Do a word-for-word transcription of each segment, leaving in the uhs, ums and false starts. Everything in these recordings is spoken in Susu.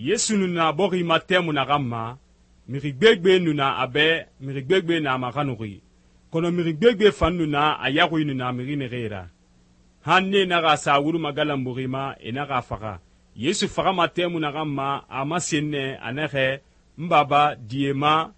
Yesu nu na bɔxi ma tɛmui naxan ma, mixi gbegbe nu na a bɛ, mixi gbegbe na a maxanuxi, kɔnɔ mixi gbegbe fan nu na a yaxui nu na mixi naxee ra. Han nee naxa sa wuri magalanbuxi ma, e naxa faxa. Yesu faxama tɛmui naxan ma, a masen nɛ a naxɛ, n Baba, di e ma,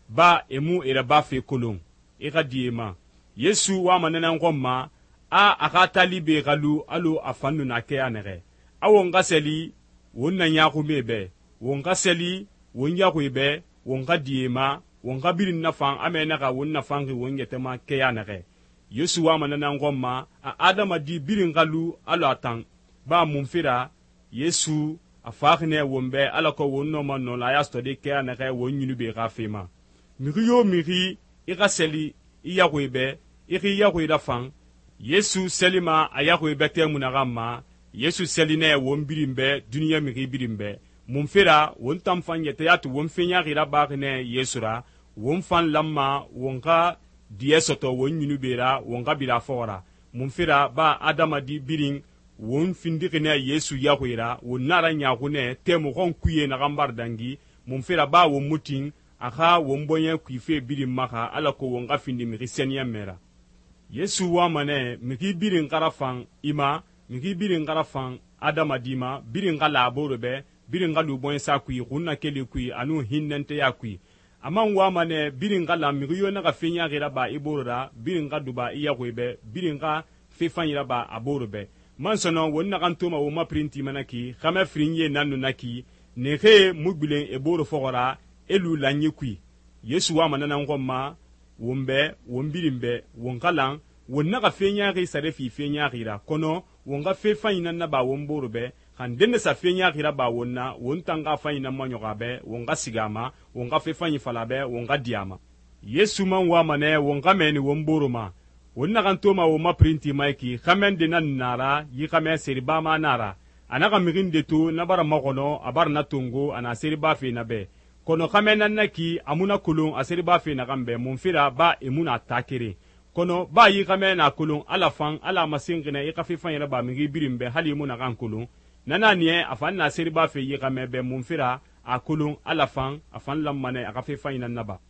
ba e mu e rabafe kolon, i xa di e ma. Yesu wama nanan xɔn ma, a a xa talibe xa lu alɔ a fan nu na kɛya nɛxɛ. A won xa seli won na ɲaaxume bɛ, won xa seli won yaxuie bɛ, won xa di e ma, won xa birin nafan amɛ naxa won nafanxi won yɛtɛ ma kɛya nɛxɛ. Yesu wama nanan xɔn ma, a adamadi birin xa lu alɔ a tan, ba munfe ra Yesu a faxi nɛ won bɛ alako won nɔma nɔlaya sɔtɔde kɛya nɛxɛ won ɲunube xa fe ma. Mixi yo mixi i xa seli i yaxuie bɛ, i xi yaxuie rafan. Yesu selima a yaxuie bɛ tɛmui naxan ma, Yesu seli nɛ won birin bɛ duniɲa mixi birin bɛ. Munfe ra won tan fan yɛtɛya tu won fe ɲaxi rabaxi nɛ Yesu ra, won fan lanma won xa diɲɛ sɔtɔ won ɲunube ra won xa bira fɔxɔ ra. Munfe ra ba adamadi birin won findixi nɛ Yesu yaxuie ra, won na ra ɲaaxu nɛ tɛmui xɔn kuye naxan bara dangi. Munfe ra ba won mu tin a xa won bɔɲɛ kuife birin maxa alako won xa findi mixi sɛniyɛnmɛ ra. Yesu wama nɛ mixi birin xa rafan i ma, mixi birin xa rafan adamadi ma, birin xa la a bore bɛ, birin xa lu bɔɲɛsa kui, xunnakeli kui, anu hinnɛntɛya kui. A man wama nɛ birin xa la mixi yo naxa fe ɲaxi raba i bore ra, birin xa duba i yaxuie bɛ, birin xa fe fanyi raba a bore bɛ. Man sɔnɔ won naxan toma won ma pirinti mana ki, xɛmɛ firinye nan nu na ki, nexee mu gbilen e bore fɔxɔ ra, e lu lanyi kui. Yesu wama nanan xɔn ma, won bɛ, won birin bɛ, won xa lan, won naxa fe ɲaxi sare fi fe ɲaxi ra, kɔnɔ won xa fe fanyi nan naba won bore bɛ, xan dende sa fe ɲaxi raba won na, won tan xa fanyi nan maɲɔxɔ a bɛ, won xa sigi a ma, won xa fe fanyi fala a bɛ, won xa di a ma. Yesu man wama nɛ won xa mɛni won bore ma. Won naxan toma won ma pirinti ma ki, xɛmɛ de nan na ra, yi xɛmɛ seribama na ra. A naxa mixin de to na bara maxɔnɔ, a bara na tongo, a na seriba fe na bɛ. Kɔnɔ xɛmɛ nan na ki, a mu na kolon a seriba fe naxan bɛ, munfe ra ba e mu na ta keren. Kɔnɔ ba yi xɛmɛ na kolon ala fan, ala masen xinɛ i xa fe fan yɛrɛ ba mixi birin bɛ hali i mu naxan kolon. Nana niɛ a fan na seriba fe yi xɛmɛ bɛ munfe ra a kolon ala fan, a fan lanma nɛ a xa fe fan yi nan naba.